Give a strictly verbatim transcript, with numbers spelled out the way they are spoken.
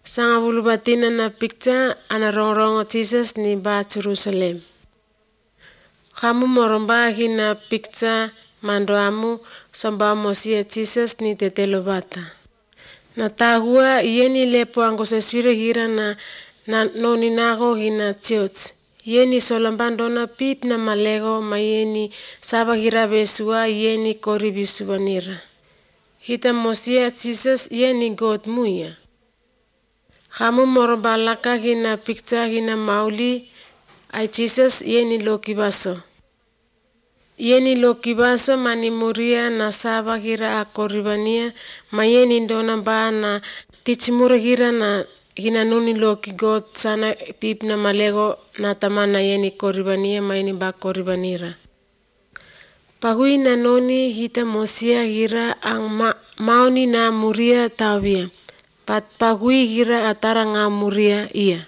Sanga bulubatina na picture ana rongrong Jesus ni ba Jerusalem. Kamu moromba hina picture mando amu samba mosia Jesus ni tetelobata. Na tahua yeni lepo angoseswire hira na na noni nago hina church. Yeni solambando na pip na malego mayeni saba hira besua yeni koribisubanira. Hita mosia Jesus yeni God muya. Kamu moromba laka hina picture hina mauli ay Jesus yeni lokibaso. Yeni lokibaso mani muria na saba hira akoribania mayeni ndona ba na tichimura hira na hina nuni loki God sana pip na malego na tamana yeni koribania mayeni ba koribanira. Pagui na noni hita mosia hira ang ma, maoni na muria tawia. Pat pagui hira atara nga muria iya.